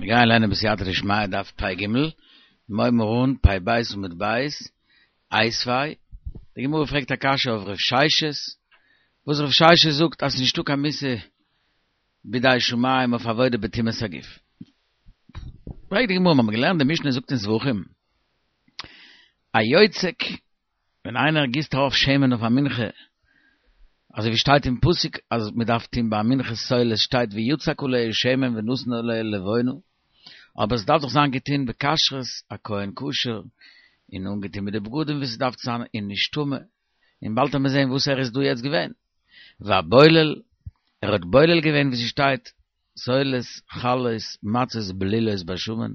מיר גייען לערנען בסייעתא דשמיא דף פ ג, מיר הייבן אן פ ב עמוד ב', איתיביה, די גמרא פרעגט א קשיא אויף ר' ששת, וואס ר' ששת זאגט אז ס'איז נישטא קיין מיתה בידי שמים אויף עבודה בטומאת הגוף. פרעגט די גמרא, מיר האבן געלערנט די משנה זאגט אין זבחים, היוצק ווען איינער גיסט ארויף שמן אויף א מנחה, אזוי ווי שטייט אין פסוק אז מען דארף טון ביי א מנחת סולת שטייט ויצק עליה שמן ונתן עליה לבונה, אבער עס דארף דאך זיין געטון בכשרות, א כהן כשר, און אנגעטון מיט די בגדים ווי ס'דארף צו זיין און נישט טמא, און באלד וועט מען זען וואס ער איז דא יעצט געווען. והבולל, ער האט בולל געווען ווי ס'שטייט סולת, חלות, מצות בלולות בשמן,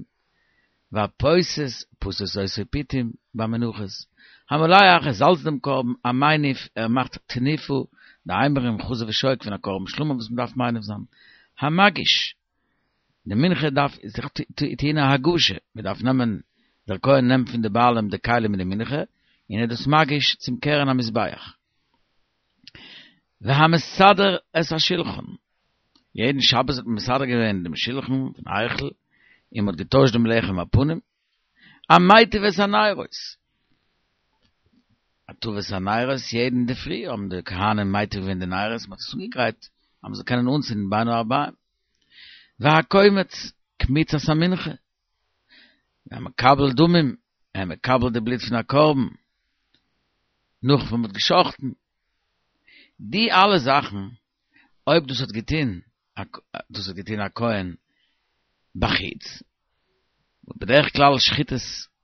והפותת, פתת אותו פיתים, ביי מנחות. המולח, ער זאלצט דעם קרבן, המניף, ער מאכט תנופה, די אימורים, חזה ושוק פון א קרבן שלמים וואס מ'דארף מניף זיין. המגיש, די מנחה דארף זיך טוהן א הגשה, מ'דארף נעמען, דער כהן נעמט פון די בעלים די כלים מיט די מנחה, און ער איז דאס מגיש צום קרן המזבח. והמסדר את השולחן, יעדן שבת האט מען מסדר געווען דעם שולחן פון היכל, און מען האט געטוישט דעם לחם הפנים, המטיב את הנרות, הטבת הנרות, יעדן אינדערפרי האבן די כהנים מטיב געווען די נרות, מען האט עס אנגעגרייט אז מען זאל קענען אנצינדן בין הערביים, והקומץ, קמיצת המנחה, והמקבל דמים, ער מקבל די בלוט פון א קרבן, נאך ווען מען האט גע'שחט'ן, די אלע זאכן אויב דאס האט געטון דאס האט געטון א כהן בחוץ, בדרך כלל שחיטת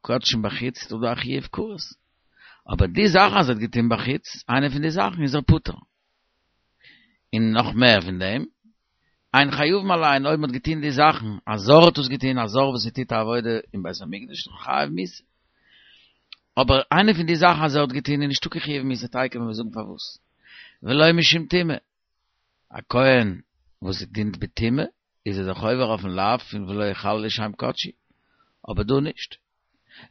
קדשים בחוץ איז דאך דא א חיוב כרת, אבער די זאכן אז ער האט געטון בחוץ, איינע פון די זאכן איז ער פטור. און נאך מער פון דעם, אין חייבים עליהן אויב מען האט געטון די זאכן, א זר האט עס געטון, א זר וואס ער טוט א עבודה אין בית המקדש איז חייב מיתה. אבער איינע פון די זאכן אז ער האט געטון איז נישטא קיין חיוב מיתה, תיכף וועלן מיר זאגן פארוואס. ולא משום טומאה. א כהן וואס דינט בטומאה איז ער דאך עובר אויפן לאו פון ולא יחללו שם קדשי, אבער דא נישט.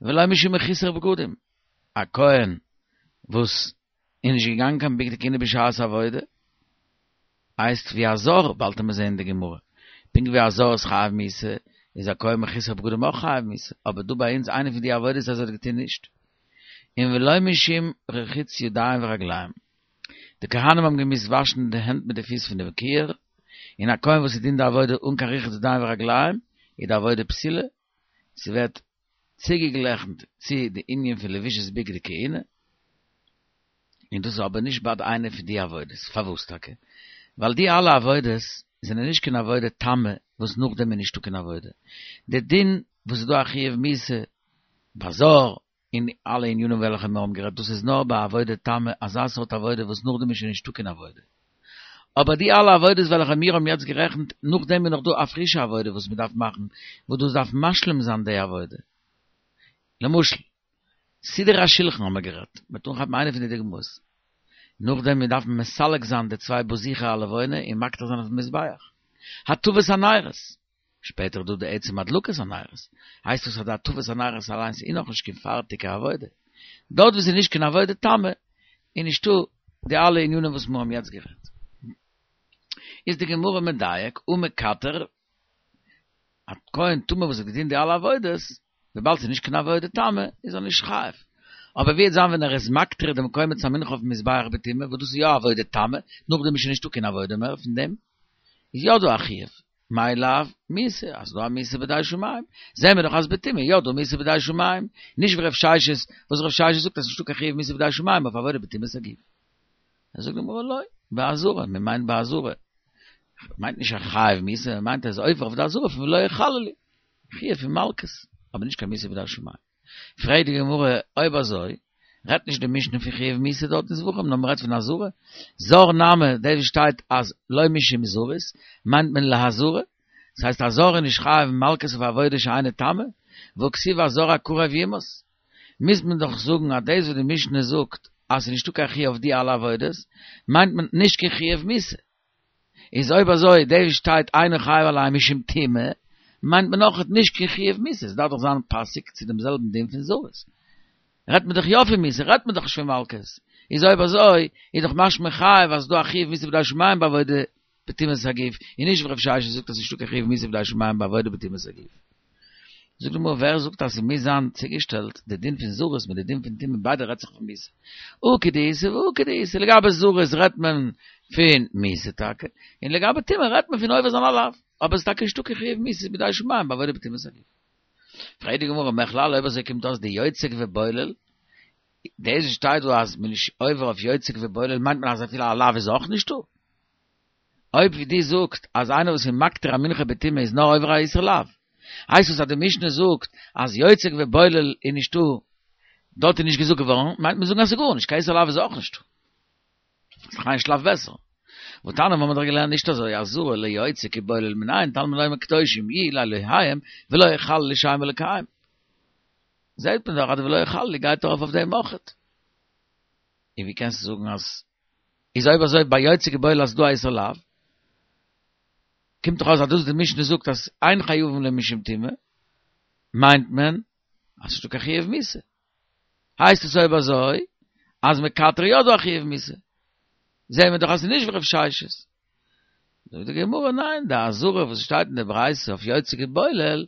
ולא משום מחוסר בגדים. א כהן וואס איז נישט געגאנגען קיין בגדי כהונה בשעת עבודה, הייסט ווי א זר, באלד וועט מען זעהן אין די גמרא, פונקט ווי א זר איז חייב מיתה, איז א כהן מחוסר בגדים אויך חייב מיתה, אבער דא ביי אונז איינע פון די עבודות אז ער האט געטון נישט. און ולא משום רחיצת ידיים ורגליים. די כהנים האבן געמוזט וואשן די הענט מיט די פיס פון דעם כיור, און א כהן וואס דינט די עבודה אן קיין רחוץ ידיים ורגליים, איז די עבודה פסולה, ס'ווערט צוגעגלעכנט צו די ענין פון לבישת בגדי כהונה, און דאס איז אבער נישט ביי איינע פון די עבודות, פארוואס טאקע? ווייל די אלע עבודות זענען נישט קיין עבודה תמה וואס נאכדעם איז נישטא קיין עבודה, די דין וואס איז דא א חיוב מיתה ביי זר און אלע ענינים וועלכע מיר האבן גערעדט דאס איז נאר ביי עבודה תמה אזא סארט עבודה וואס נאכדעם איז שוין נישטא קיין עבודה. אבער די אלע עבודות וועלכע מיר האבן יעצט גערעכנט, נאכדעם איז נאך דא א פרישע עבודה וואס מען דארף מאכן, וואס דאס דארף משלים זיין די עבודה. למשל, סידור השולחן האבן מיר גערעדט, מען וועט אנכאפן איינע פון די דוגמאות. נאכדעם מען דארף מסלק זיין די צוויי בזיכי הלבונה און מקטיר זיין אויפן מזבח. הטבת הנרות. שפעטער איז דא די עצם הדלקת הנרות, הייסט עס אז די הטבת הנרות אליינס איז נאכנישט קיין פארטיגע עבודה. דארט וואו ס'איז נישט קיין עבודה תמה איז נישטא די אלע ענינים וואס מיר האבן יעצט גערעדט. איז די גמרא מדייק ומקטר, א כהן טמא וואס האט געטון די אלע עבודות, וויבאלד ס'איז נישט קיין עבודה תמה, איז ער נישט חייב. אבער ווי וועט זיין ווען ער איז מקטיר דעם קומץ המנחה אויפן מזבח בטומאה, וואס דאס איז יא עבודה תמה, נאכדעם איז שוין נישטא קיין עבודה מער פון דעם, איז יא דא א חיוב. מאי לאו מיתה, אז ס'דא א מיתה בידי שמים, זעהן מיר דאך אז בטומאה יא דא מיתה בידי שמים, נישט ווי רב ששת, וואס רב ששת זאגט אז ס'נישטא קיין חיוב מיתה בידי שמים אויף עבודה בטומאת הגוף. זאגט די גמרא לא, בעזרה, מען מיינט בעזרה, מיינט נישט א חייב מיתה, מען מיינט אז עובר אויף די אזהרה פון ולא יחללו, חיוב פון מלקות, אבער נישט קיין מיתה בידי שמים. פרעגט די גמרא, אויב אזוי, רעדט נישט די משנה פון חיוב מיתה דארט אין זבחים, נאר מ'רעדט פון אזהרה, זר נמי, דאס וואס שטייט אז לא משום זרות, מיינט מען לאזהרה, דאס הייסט א זר איז נישט חייב מלקות אויף עבודה שאינה תמה, והכתיב הזר הקרב יומת. מוז מען דאך זאגן אז דאס וואס די משנה זאגט אז ס'איז נישטא קיין חיוב אויף די אלע עבודות, מיינט מען נישט קיין חיוב מיתה. איז אויב אזוי דאס וואס שטייט אינו חייב עליהן משום טומאה, מיינט מען אויך נישט קיין חיוב מיתה, עס דארף דאך זיין פאסיג צו דעם זעלבן דין פון זרות. רעדט מען דאך יא פון מיתה, רעדט מען דאך נישט פון מלקות. איז אויב אזוי איז דאך משמע חייב אז ס'דא א חיוב מיתה בידי שמים בעבודה. בטומאת הגוף, און נישט ווי רב ששת זאגט אז ס'נישטא קיין חיוב מיתה בידי שמים בעבודה בטומאת הגוף. זאגט די גמרא ווער זאגט אז ס'מוז זיין צוגעשטעלט די דין פון זרות מיט די דין פון טומאה ביידע רעדט זיך פון מיתה הא כדאיתא והא כדאיתא לגבי זרות רעדט מען פון מיתה טאקע און לגבי טומאה רעדט מען פון עובר זיין א לאו אבער ס'איז טאקע נישטא קיין חיוב מיתה בידי שמים בעבודה בטומאת הגוף. פרעגט די גמרא מכלל אויב אזוי קומט אויס דיוצק ובולל דאס וואס שטייט דא אז מ'איז נישט עובר אויף יוצק ובולל מיינט מען אז אפילו א לאו איז אויך נישטא? אויב ווי דו זאגסט אז איינער וואס איז מקטיר א מנחה בטומאה איז נאר עובר א איסור לאו, הייסט עס אז די משנה זאגט אז יוצק ובולל איז נישטא, דארט איז נישט געזאגט געווארן, מיינט מען זאגן אז ס'איז גארנישט, קיין איסור לאו איז אויך נישטא. איז דאך איין שלב בעסער. והתניא האבן מיר דאך געלערנט נישט אזוי, עזרה ליוצק ובולל מנין תלמוד לומר קדושים יהיו לאלהיהם ולא יחללו שם אלוקיהם. זעהט מען דאך אז די ולא יחללו גייט ארויף אויף דעם אויכעט. און ווי קענסטו זאגן אז איז אויב אזוי ביי יוצק ובולל אז ס'דא א איסור לאו, קומט דאך אויס אז דאס וואס די משנה זאגט אז אין חייבין לו משום טומאה, מיינט מען אז ס'נישטא קיין חיוב מיתה. הייסט עס אויב אזוי אז מקטר יא דא א חיוב מיתה. זעהן מיר דאך אז ס'איז נישט ווי רב ששת. זאגט די גמרא ניין, די אזהרה וואס שטייט אין די ברייתא אויף יוצק ובולל,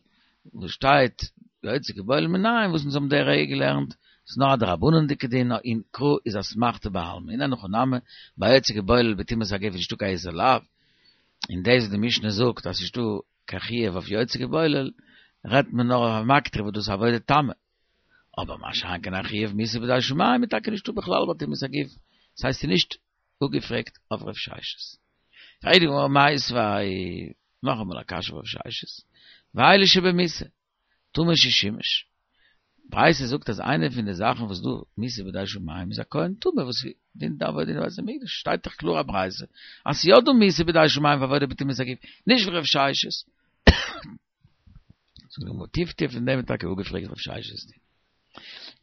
וואס שטייט יוצק ובולל מנין, וואס אונז האבן די רגע געלערנט, ס'איז נאר א דרבנן'דיגע דין, און קרא איז אסמכתא בעלמא, און אין הכי נמי, ביי יוצק ובולל בטומאת הגוף איז נישטא קיין איסור לאו, און דאס וואס די משנה זאגט אז ס'נישטא קיין חיוב אויף יוצק ובולל, רעדט מען נאר אויף א מקטיר וואס דאס איז עבודה תמה. אבער מה שאין כן א חיוב מיתה בידי שמים איז טאקע נישטא בכלל ביי טומאת הגוף, ס'הייסט ס'איז נישט אפגעפרעגט אויף רב ששת. פרעגט די גמרא מיתיבי, נאכאמאל א קשיא אויף רב ששת, ואלו שבמיתה, טמא ששימש. ברייתא זאגט אז איינע פון די זאכן וואס דא מיתה בידי שמים איז א כהן טמא וואס דינט די עבודה אין בית המקדש, שטייט דאך קלאר א ברייתא אז ס'יא דא מיתה בידי שמים פאר עבודה בטומאת הגוף, נישט ווי רב ששת. זאגט די גמרא טיף טיף פון דעם איז טאקע אפגעפרעגט רב ששת.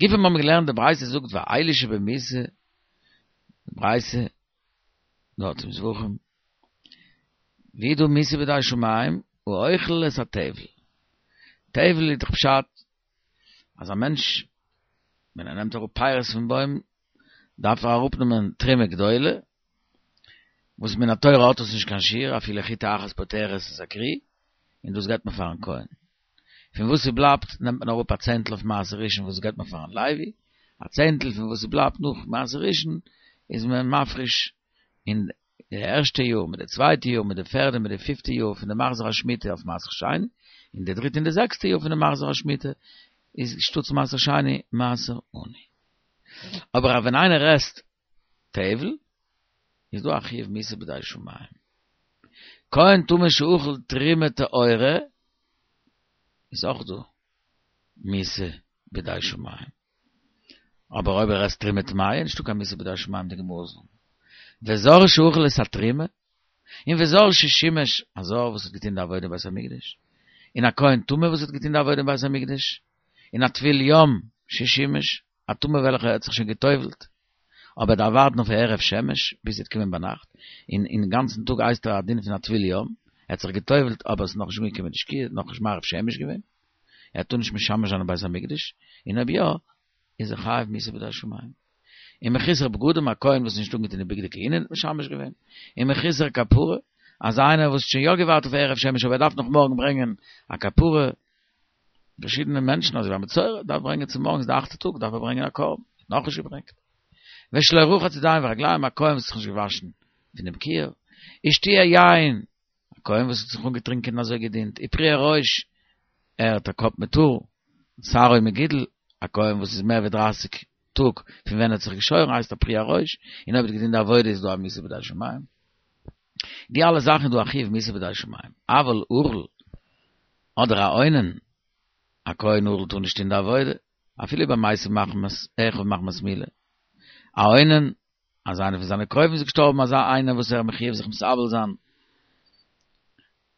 גופא מיר האבן געלערנט די ברייתא זאגט ואלו שבמיתה די ברייתא דארט אין זבחים ווי דא מיתה בידי שמים האוכל את הטבל טבל איז דאך פשט אז א מענטש ווען ער נעמט אראפ פירות פון בוים דארף ער אראפנעמען תרומה גדולה וואס מן התורה האט עס נישט קיין שיעור אפילו חיטה אחת פוטרת את הכרי און דאס געבט מען פארן כהן פון וואס ס'בלייבט נעמט מען אראפ א צענטל אויף מעשר ראשון וואס געבט מען פארן לוי, א צענטל פון וואס ס'בלייבט נאך מעשר ראשון איז מען מפריש אין די ערשטע יאר מיט די צווייטע יאר מיט די פערדע מיט די פיפטע יאר פון די מחזור השמיטה אויף מעשר שני, און די דריטע און די זעקסטע יאר פון די מחזור השמיטה איז שטאטס מעשר שני מעשר עני. אבער ווען איינער עסט טבל איז דא א חיוב מיתה בידי שמים. כהן טמא שאכל תרומה טהורה איז אויך דא מיתה בידי שמים. אבער אויב ער עסט תרומה טמאה נישטא קיין מיתה בידי שמים די גמרא זאגט. וזר שאכל את התרומה, און וזר ששימש, א זר וואס האט געטון די עבודה אין בית המקדש, און א כהן טמא וואס האט געטון די עבודה אין בית המקדש, און א טבול יום ששימש, א טמא וועלכער האט זיך שוין גע'טובל'ט, אבער דארף ווארטן אויף הערב שמש ביז ס'וועט קומען ביינאכט, און אין גאנצן טאג הייסט ער א דין פון א טבול יום, ער האט זיך גע'טובל'ט אבער עס איז נאכנישט אנגעקומען די שקיעה, נאכנישט מעריב שמש געווען, ער טאר נישט משמש זיין אין בית המקדש, און אויב יא, איז ער חייב מיתה בידי שמים. און מחוסר בגדים, א כהן וואס איז נישט אנגעטון די בגדי כהונה האט משמש געווען, און מחוסר כפרה, אז איינער וואס האט שוין יא געווארט אויף הערב שמש אבער ער דארף נאך מארגן ברענגען א כפרה, פארשידענע מענטשן אזוי ווי א מצורע דארף ברענגען צו מארגנס די אכטע טאג דארף ער ברענגען א קרבן, האט נאכנישט געברענגט. ושלא רחץ ידיים ורגליים א כהן וואס האט זיך נישט געוואשן פונעם כיור, ושתויי יין א כהן וואס האט זיך אנגעטרינקען און אזוי געדינט, ופרוע ראש ער האט א קאפ מיט האר, שערו מגודל א כהן וואס איז מער ווי דרייסיג טאג פון ווען ער האט זיך געשוירן הייסט א פרוע ראש, און אויב ער האט געדינט די עבודה איז דא א מיתה בידי שמים. די אלע זאכן איז דא א חיוב מיתה בידי שמים, אבל ערל אדער א אונן, א כהן ערל טאר נישט טון די עבודה, אפילו ביי מתו מחמת אחיו מחמת מילה, א אונן, אז איינער פון זיינע קרובים איז געשטארבן אזא איינער וואס ער איז מחויב זיך מתאבל זיין,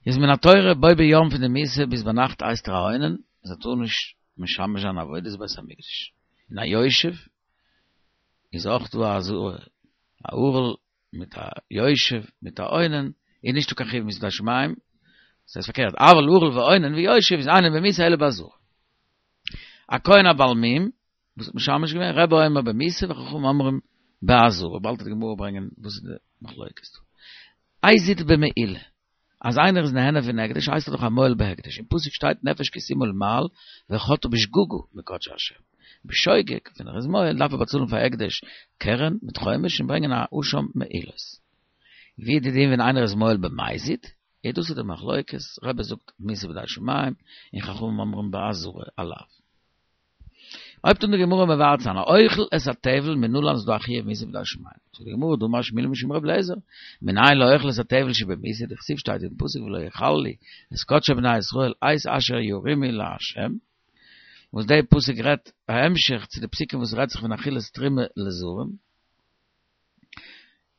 איז מן התורה בו ביום פון די מיתה ביז ביינאכט הייסט ער א אונן, אז ער טאר נישט משמש זיין עבודת בית המקדש, און א יושב איז אויך דא אזא א ערל מיט א יושב מיט א אונן איז נישטא קיין חיוב מיתה בידי שמים, ס'הייסט פארקערט, אבל ערל ואונן ויושב איז אינן במיתה אלא באזהרה. א כהן א בעל מום וואס האט משמש געווען, רבי אומר במיתה וחכמים אומרים באזהרה, באלד וועט די גמרא ברענגען וואס איז די מחלוקת דא. הזיד במעילה, אז איינער איז נהנה פון הקדש הייסט ער דאך א מועל בהקדש, אין פסוק שטייט נפש כי תמעול מעל וחטאה בשגגה מקדשי השם, בשוגג ווען ער איז מועל דארף ער באצאלן פאר הקדש קרן מיט חומש און ברענגען א אשם מעילות. ווי איז די דין ווען איינער איז מועל במזיד? איז דאס איז די מחלוקת, רבי זאגט מיתה בידי שמים און חכמים אומרים באזהרה עליו. הויבט אן די גמרא מבאר צו זיין האוכל את הטבל מנלן ס'איז דא א חיוב מיתה בידי שמים. זאגט די גמרא דאמר שמואל משום ר' אליעזר, מנין לאוכל את הטבל שבמיתה דכתיב שטייט אין פסוק ולא יחללו את קדשי בני ישראל את אשר ירימו לה', וואס די פסוק רעדט א המשך צו די פסוקים וואס רעדט זיך פון אכילת תרומה לזרים.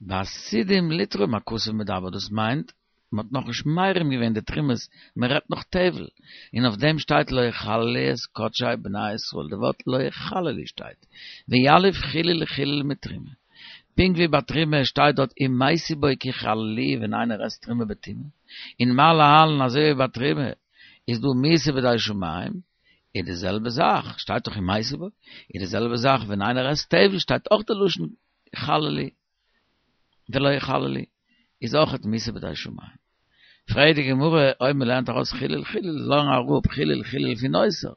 בעתידים לתרום הכתוב מדבר דאס מיינט מען האט נאכנישט מרים געווען די תרומות מען רעדט נאך טבל און אויף דעם שטייט לא יחללו את קדשי בני ישראל די ווארט לא יחללו שטייט ויליף חילול חילול מתרומה פונקט ווי ביי תרומה שטייט דארט ומתו בו כי יחללוהו ווען איינער עסט תרומה בטומאה און מה להלן אזוי ווי ביי תרומה איז דא מיתה בידי שמים איז די זעלבע זאך, שטייט דאך ומתו בו, איז די זעלבע זאך ווען איינער עסט טבל שטייט אויך די לשון יחללו ולא יחללו, איז אויך מיתה בידי שמים. פרעגט די גמרא אויב מען לערנט ארויס חילול חילול, לערן אראפ חילול חילול פון נותר,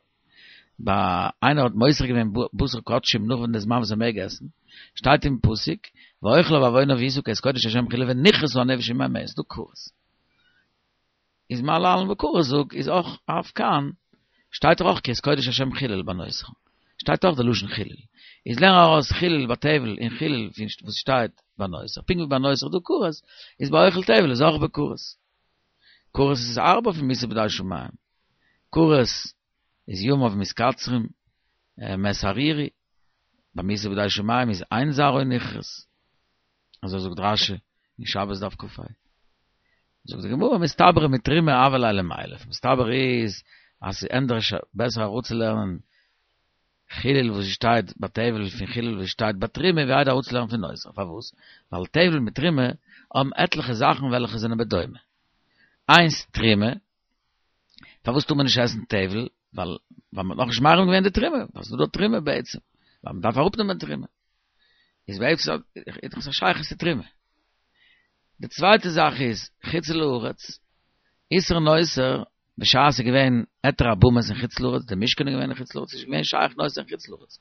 ביי איינער האט מותר געווען בשר קדשים נאך ווען די זמן וואס ער מעג עסן, שטייט אין פסוק, ואוכליו בעוונו וישא כי את קודש השם חיללו ונכרתה הנפש עמהם איז דא כרת. איז מה להלן בכרת זאג איז אויך אף כאן שטייט דאך אויך כי את קודש השם חילל ביי נותר שטייט אויך די לשון חילול איז לערן ארויס חילול ביי טבל און חילול פון וואס שטייט ביי נותר פונקט ווי ביי נותר איז דא כרת איז ביי אוכל טבל איז אויך בכרת כרת איז הארבער פון מיתה בידי שמים כרת איז ימיו מתקצרים מת ערירי ביי מיתה בידי שמים איז אין זרעו נכרת. אזוי זאגט רשי אין שבת דף כה. זאגט די גמרא מסתברא מתרומה הוה ליה למילף, מסתבר איז אז ס'איז ענדערש בעסער אראפצולערנען חילול וואס שטייט ביי טבל פון חילול וואס שטייט ביי תרומה ווי איידער אראפצולערנען פון נותר, פארוואס? ווייל טבל מיט תרומה האבן עטליכע זאכן וועלכע זענען בדומה. איינס תרומה, פארוואס טאר מען נישט עסן טבל? ווייל ווייל מ'האט נאכנישט מרים געווען די תרומה, ווייל ס'איז דא תרומה בעצם, ווייל מ'דארף אראפנעמען תרומה. איז בעצם איז דאך עס א שייכות צו תרומה. די צווייטע זאך איז חוץ לארץ, איסור נותר, בשעת ס'איז געווען היתר הבמות אין חוץ לארץ, די משכן איז געווען אין חוץ לארץ, איז נישט געווען שייך נותר אין חוץ לארץ.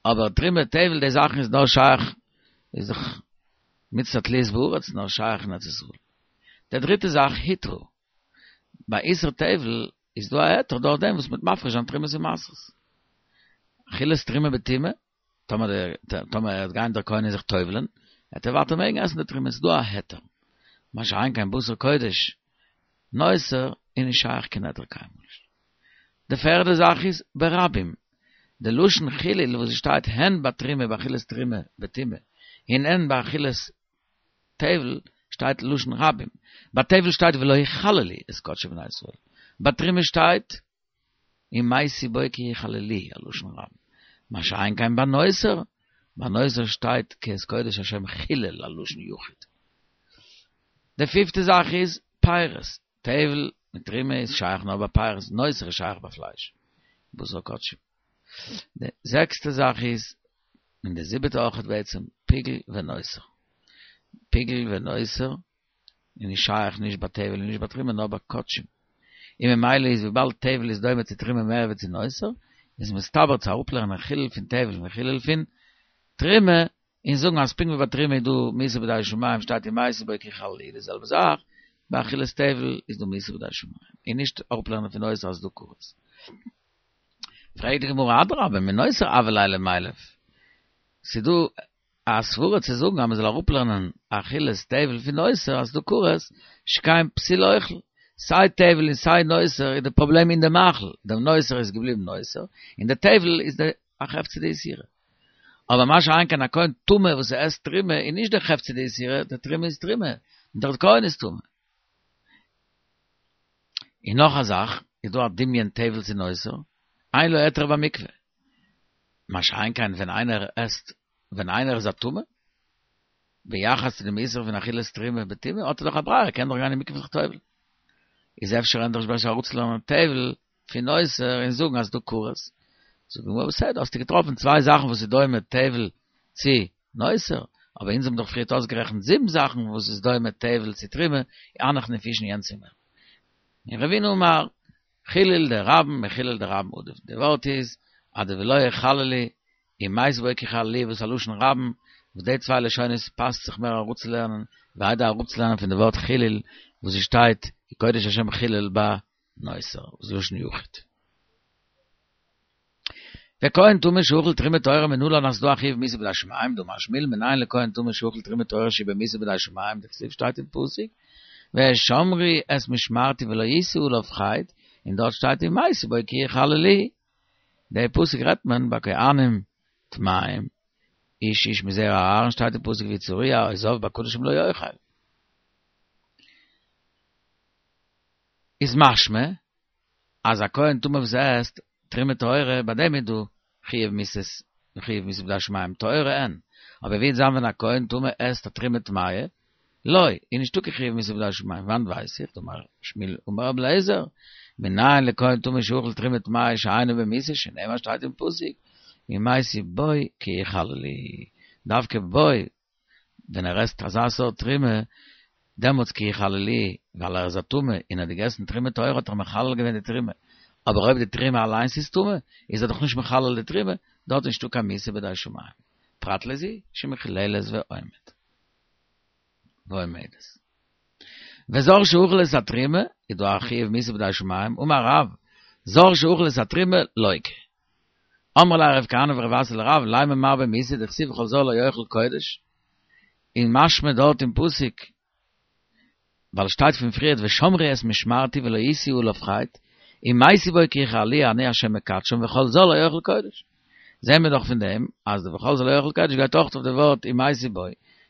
אבער תרומה, טבל, די זאכן איז נאר שייך, איז דאך מצות התלויות בארץ, נאר שייך אין ארץ ישראל. די דריטע זאך, הותרה. ביי איסור טבל איז דא א היתר דורך דעם וואס מ'וועט מפריש זיין תרומות און מעשרות. אכילת תרומה בטומאה, טאמער דער טאמער ער וועט גיין דער כהן און זיך טובל'ען, וועט ער ווייטער מעגן עסן די תרומה, ס'איז דא א היתר. מה שאין כן בשר קודש נותר איז נישט שייך קיין היתר קיינמאל נישט. די פערדע זאך איז ברבים. די לשון חילול וואס עס שטייט הן בתרומה באכילת תרומה בטומאה און הן באכילת טבל שטייט לשון רבים. ביי טבל שטייט ולא יחללו את קדשי בני ישראל. ביי תרומה שטייט ומתו בו כי יחללוהו א לשון רבים. מה שאין כן ביי נותר, ביי נותר שטייט כי את קודש השם חילל א לשון יחיד. די פיפטע זאך איז פירות, טבל מיט תרומה איז שייך נאר ביי פירות, נותר איז שייך ביי פלייש, בשר קדשים. די זעקסטע זאך איז, און די זיבעטע אויכעט בעצם, פיגול ונותר. פיגול ונותר איז נישט שייך נישט ביי טבל און נישט ביי תרומה נאר ביי קדשים. און ממילא איז וויבאלד טבל איז דומה צו תרומה מער ווי צו נותר, איז מסתבר צו אראפלערנען חילול פון טבל און חילול פון תרומה, און זאגן אז פונקט ווי ביי תרומה איז דא מיתה בידי שמים שטייט ומתו בו כי יחללוהו די זעלבע זאך ביי אכילת טבל איז דא מיתה בידי שמים, און נישט אראפלערנען פון נותר אז ס'איז דא כרת. פרעגט די גמרא אדרבה מנותר הוה ליה למילף, ס'דא א סברה צו זאגן אז מ'זאל אראפלערנען אכילת טבל פון נותר אז ס'דא כרת שכן פסול אוכל, סיי טבל און סיי נותר איז די פראבלעם אין די מאכל, די נותר איז געבליבן נותר, און די טבל איז די א חפצא דאיסורא. אבער מה שאין כן א כהן טמא וואס ער עסט תרומה איז נישט די חפצא דאיסורא, די תרומה איז תרומה, און דער כהן איז טמא. און נאך א זאך, איז דא א דמיון טבל צו נותר, אין לו היתר במקווה. מה שאין כן ווען איינער עסט, ווען איינער איז א טמא, ביחס צו דעם איסור פון אכילת תרומה בטומאה, האט ער דאך א ברירה, ער קען דאך גיין אין מקווה זיך טובל'ן. איז אפשר ענדערש בעסער אראפצולערנען טבל פון נותר און זאגן אז ס'דא כרת. זאגט די גמרא בסדר, האסטו געטראפן צוויי זאכן וואס איז דומה טבל צו נותר, אבער אונז האבן דאך פריערט אויסגערעכנט זיבן זאכן וואס איז דומה טבל צו תרומה, הנך נפישין יענץ איז מער. און רבינא אמר, חילול דרבים מחילול דרבים עדיף, די ווארט איז אז די ולא יחללו אם מתו בו כי יחללוהו וואס א לשון רבים, וואס די צוויי לשונות פאסט זיך מער אראפצולערנען, ווי איידער אראפצולערנען פון די ווארט חילול וואס עס שטייט כי קודש השם חילול ביי נותר, וואס איז לשון יחיד. וכהן טמא שאכל תרומה טהורה מנלן אז ס'דא א חיוב מיתה בידי שמים, דאמר שמואל מנין לכהן טמא שאכל תרומה טהורה שהוא במיתה בידי שמים, דכתיב שטייט אין פסוק והשמרו את משמרתי ולא ישאו עליו חטא, און דארט שטייט אם מתו בו כי יחללוהו. די פסוק רעדט מען ביי כהנים טמאים, איש איש מזרע אהרן שטייט אין פסוק והוא צרוע או זב בקדשים לא יאכל. איז משמע אז א כהן טמא וואס עסט תרומה טהורה ביי דעם איז דא חיוב מיתות חיוב מיתה בידי שמים טהורה אין, אבער ווי וועט זיין ווען א כהן טמא עסט א תרומה טמאה? לא, איז נישטא קיין חיוב מיתה בידי שמים, וואנעט ווייס איך? דאמר שמואל אמר רבי אליעזר, מנין לכהן טמא שאכל תרומה טמאה שאינו במיתה שנאמר שטייט אין פסוק אם מתו בו כי יחללוהו, דווקא בו ווען ער עסט אזא סארט תרומה, דעמאלטס כי יחללוהו, ווייל ער איז א טמא און האט געגעסן תרומה טהורה האט ער מחלל געווען די תרומה, אבער אויב די תרומה אליינס איז טמא, איז ער דאך נישט מחלל די תרומה, דארט איז נישטא קיין מיתה בידי שמים. פרט לזו שמחוללת ועומד. ועומדת. וזר שאכל את התרומה, איז דא א חיוב מיתה בידי שמים, אמר רב, זר שאכל את התרומה, לוקה. אמרי ליה רב כהנא ורב אסי לרב, לימא מר במיתה דכתיב וכל זר לא יאכל קודש, און משמע דארט אין פסוק, ווייל שטייט פון פריערט ושמרו את משמרתי ולא ישאו עליו חטא, אם מתו בו כי יחללוהו אני השם מקדשם וכל זר לא יאכל קודש. זעהן מיר דאך פון דעם אז די וכל זר לא יאכל קודש גייט אויך אויף די ווארט אם מתו בו,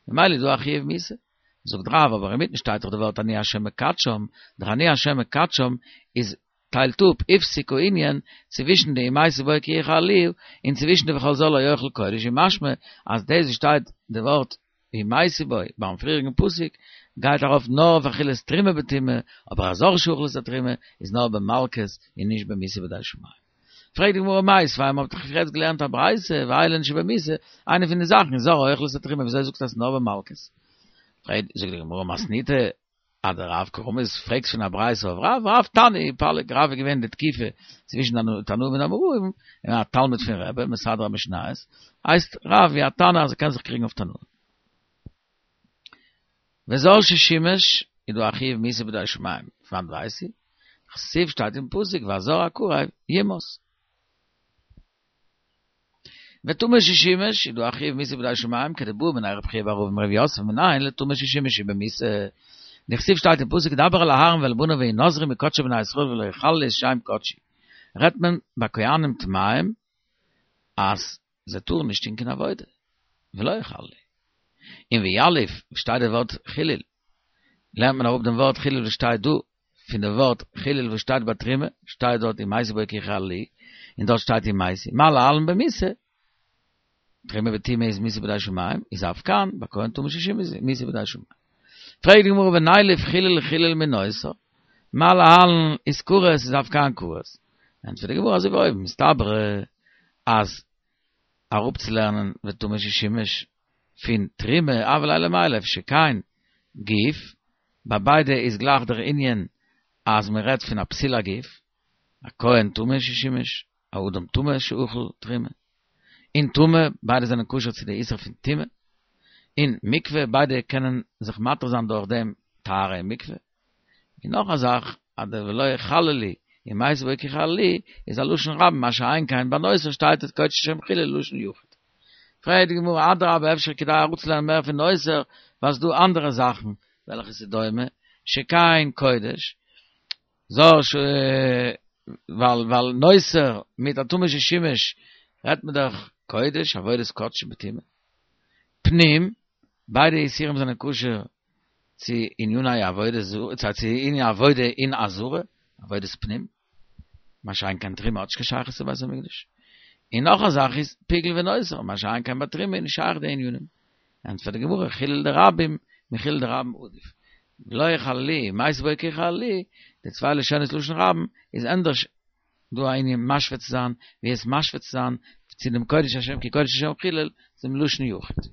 ממילא איז דא א חיוב מיתה. זאגט רב, אבער אינמיטן שטייט דאך די ווארט אני השם מקדשם, דער אני השם מקדשם איז טיילט אפ הפסיק הענין צווישן די אם מתו בו כי יחללוהו און צווישן די וכל זר לא יאכל קודש איז משמע אז דאס וואס שטייט די ווארט אם מתו בו ביים פריעריגן פסוק גייט ארויף נאר אויף אכילת תרומה בטומאה אבער א זר שאכל את התרומה איז נאר במלקות און נישט במיתה בידי שמים. פרעגט די גמרא מיתיבי מ'האט דאך יעצט געלערנט א ברייתא ואלו הן שבמיתה איינע פון די זאכן איז זר האוכל את התרומה וויאזוי זאגסטו אז ס'איז נאר במלקות? פרעגט זאגט די גמרא מתניתא אדרב קרמית פרעגסט פון א ברייתא אויף רב, רב תנא ופליג, רב איז געווען די תקופה צווישן די תנאים און אמוראים, און א תלמיד פון רבי, מסדר המשניות, הייסט רב ווי א תנא אז ער קען זיך קריגן אויף תנאים. וזר ששימש, איז דא א חיוב מיתה בידי שמים, פון וואנעט ווייס איך? דכתיב שטייט אין פסוק והזר הקרב יומת. וטמא ששימש, איז דא א חיוב מיתה בידי שמים, כדבעא מיניה רב חייא בר אבא מרב יוסף מנין לטמא ששימש שהוא במיתה. דכתיב שטייט אין פסוק דבר אל אהרן ואל בניו והנזרו מקדשי בני ישראל ולא יחללו את שם קדשי. רעדט מען ביי כהנים טמאים אז זיי טארן נישט טון קיין עבודה, ולא יחללו. און ויליף, וואו שטייט די ווארט חילול, לערנט מען אראפ דעם ווארט חילול וואס שטייט דא, פון די ווארט חילול וואס שטייט ביי תרומה, שטייט דארט אם מתו בו כי יחללוהו, און דארט שטייט אם מתו, מה להלן במיתה, תרומה בטומאה איז מיתה בידי שמים, איז אף כאן, ביי כהן טמא ששימש מיתה בידי שמים. פרעגט די גמרא ונילף חילול חילול מנותר, מה להלן איז כרת איז אף כאן כרת. ענטפערט די גמרא אזוי ווי אויבן, מסתברא אז אראפצולערנען וטמא ששימש פון תרומה הוה ליה למילף שכן גוף, ביי ביידע איז גלייך דער ענין אז מען רעדט פון א פסול הגוף, א כהן טמא ששימש, א אדם טמא שאכל תרומה, און טומאה, ביידע זענען קשור צו די איסור פון טומאה, און מקווה, ביידע קענען זיך מתיר זיין דורך דעם טהרה אין מקווה. און נאך א זאך, אז דער ולא יחללו אם מתו בו כי יחללוהו איז א לשון רבים, מה שאין כן ביי נותר שטייט את קודש השם חילול לשון יחיד. פרעגט די גמרא, אדרבה אפשר כדאי אראפצולערנען מער פון נותר, ווייל ס'דא אנדערע זאכן וועלכע ס'איז דומה, שכן קודש, זר ש ווייל ווייל נותר מיט א טמא ששימש רעדט מען דאך קודש, עבודת קדשים בטומאה. פנים, ביידע איסורים זענען קשור צו עניני עבודה זרה, צו עניני עבודה אין עזרה, עבודת פנים, מה שאין כן תרומה האט נישט קיין שייכות צו בית המקדש. און נאך א זאך איז פיגול ונותר, מה שאין כן ביי תרומה איז נישט שייך די ענינים. ענטפערט די גמרא, חילול דרבים מחילול דרבים עדיף. ולא יחללוהו, אם מתו בו כי יחללוהו, די צוויי לשונות לשון רבים איז ענדערש דא א ענין משווה צו זיין, ווי עס משווה צו זיין צו דעם קודש השם כי קודש השם חילול, צום לשון יחיד.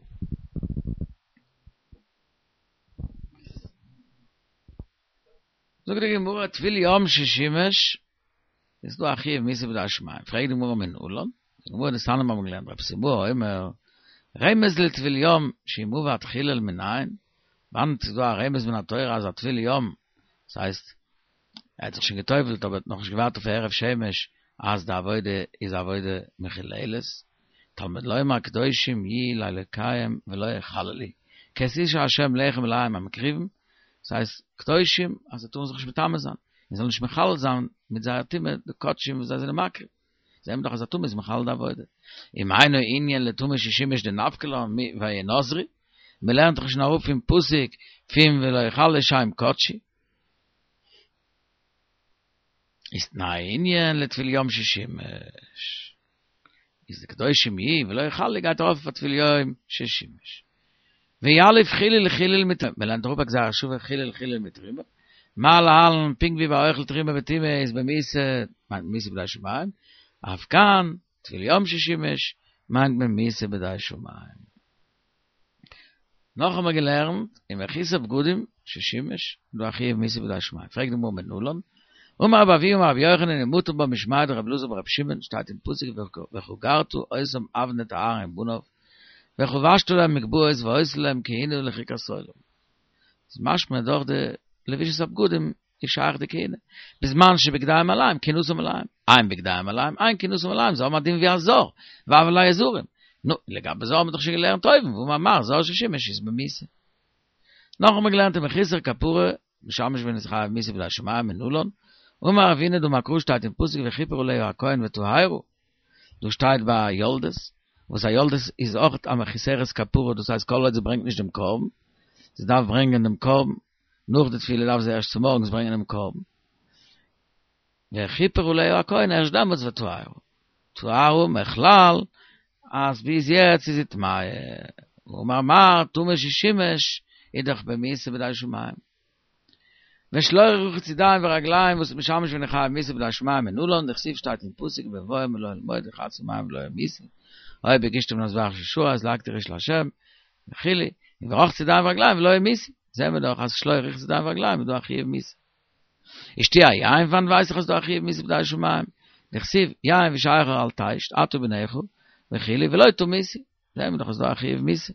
זאגט די גמרא טבול יום ששימש, איז דא א חיוב מיתה בידי שמים, פרעגט די גמרא מנלן, די גמרא דתניא האבן געלערנט רב סימאי אומר, רמז לטבול יום שאם עבד חילל מנין, וואנעט איז דא א רמז מן התורה אז א טבול יום, דאס הייסט ער האט זיך שוין גע'טובל'ט אבער האט נאכנישט געווארט אויף הערב שמש אז די עבודה איז עבודה מחוללת, תלמוד לומר קדושים יהיו לאלקיהם ולא יחללו, כי את אשר ה' לחם אלהיהם המקריבים, דאס הייסט קדושים אז זיי טארן זיך נישט מטמא זיין, און זאלן נישט מחלל זיין מיט זייער טומאה די קדשים וואס זיי זענען מקריב, זעהן מיר דאך אז א טמא איז מחלל די עבודה. ומאי אינו ענין לטמא ששימש דנפקא לן מוינזרו, מען לערנט דאך שוין אראפ פון פסוק פון ולא יחללו שם קדשי. איז תנאי ענין לטבול יום ששימש. איז די קדושים יהיו ולא יחללו גייט ארויף אויף א טבול יום ששימש. ויליף חיליל חיליל מתרומה, מען לערנט אראפ א גזירה שווה חיליל חיליל מתרומה, מה להלן פונקט ווי ביי אוכל תרומה בטומאה איז במיתה, מיינט מען מיתה בידי שמים, אף כאן, טבול יום ששימש, מיינט מען מיתה בידי שמים. נאך האבן מיר געלערנט ומחוסר בגדים ששימש דא א חיוב מיתה בידי שמים, פרעגט די גמרא מנלן, אמר רבי אבהו אמר רבי יוחנן ומטו בה משמיה דרבי אלעזר ברבי שמעון, שטייט אין פסוק וחגרת אותם אבנט אהרן ובניו, וחבשת להם מגבעות והיתה להם כהונה לחוקת עולם. איז משמע דורך די לבישת הבגדים איז שייך די כהונה, בזמן שבגדיהם עליהם כהונתם עליהם, אין בגדיהם עליהם אין כהונתם עליהם, זיי האבן א דין ווי א זר, והוו להו זרים. נו, לגבי זר האבן מיר דאך שוין געלערנט אויבן, ואמר מר זר ששימש איז במיתה. נאך האבן מיר געלערנט ומחוסר כפרה, משמש געווען איז חייב מיתה בידי שמים מנלן, אמר רב הונא דאמר קרא שטייט אין פסוק וכיפר עליה הכהן וטהרה, דא שטייט ביי א יולדת, וואס א יולדת איז אויך א מחוסרת כפרה, דאס הייסט כל עוד זי ברענגט נישט דעם קרבן, זי דארף ברענגען דעם קרבן, נאך די טבילה דארף זי ערשט צומארגנס ברענגען דעם קרבן, וכיפר עליה הכהן ערשט דעמאלטס וטהרה, טהרה מכלל אז ביז יעצט איז זי טמאה, ואמר מר טמא ששימש איז דאך במיתה בידי שמים. ושלא רחוץ ידיים ורגליים וואס משמש געווען חייב מיתה בידי שמים מנלן דכתיב שטייט אין פסוק בבואם אל אוהל מועד ורחצו במים ולא ימותו היה בקשתם למזבח של שרת להקטיר אש לה' וכו' ורחצו ידיים ורגליים ולא ימותו זעהן מיר דאך אז שלא רחצו ידיים ורגליים איז דא א חיוב מיתה. ושתיית היין פון וואנעט ווייס איך אז ס'דא א חיוב מיתה בידי שמים דכתיב יין ושכר אל תשת אתה ובניך וכו' ולא תמותו זעהן מיר דאך אז ס'דא א חיוב מיתה.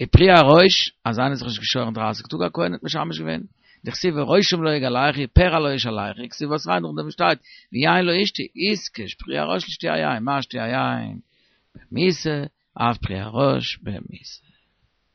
ופרי הראש, אז איינער האט זיך נישט געשוירן דרייסיג טאג א כהן האט משמש געווען, דכתיב וראשם לא יגלחו, פרע לא ישלחו, כתיב בתריה נאכדעם שטייט ויין לא ישתו, איתקש פרי הראש לשתיית היין, מה שתיית היין במיתה, אף פרי הראש במיתה.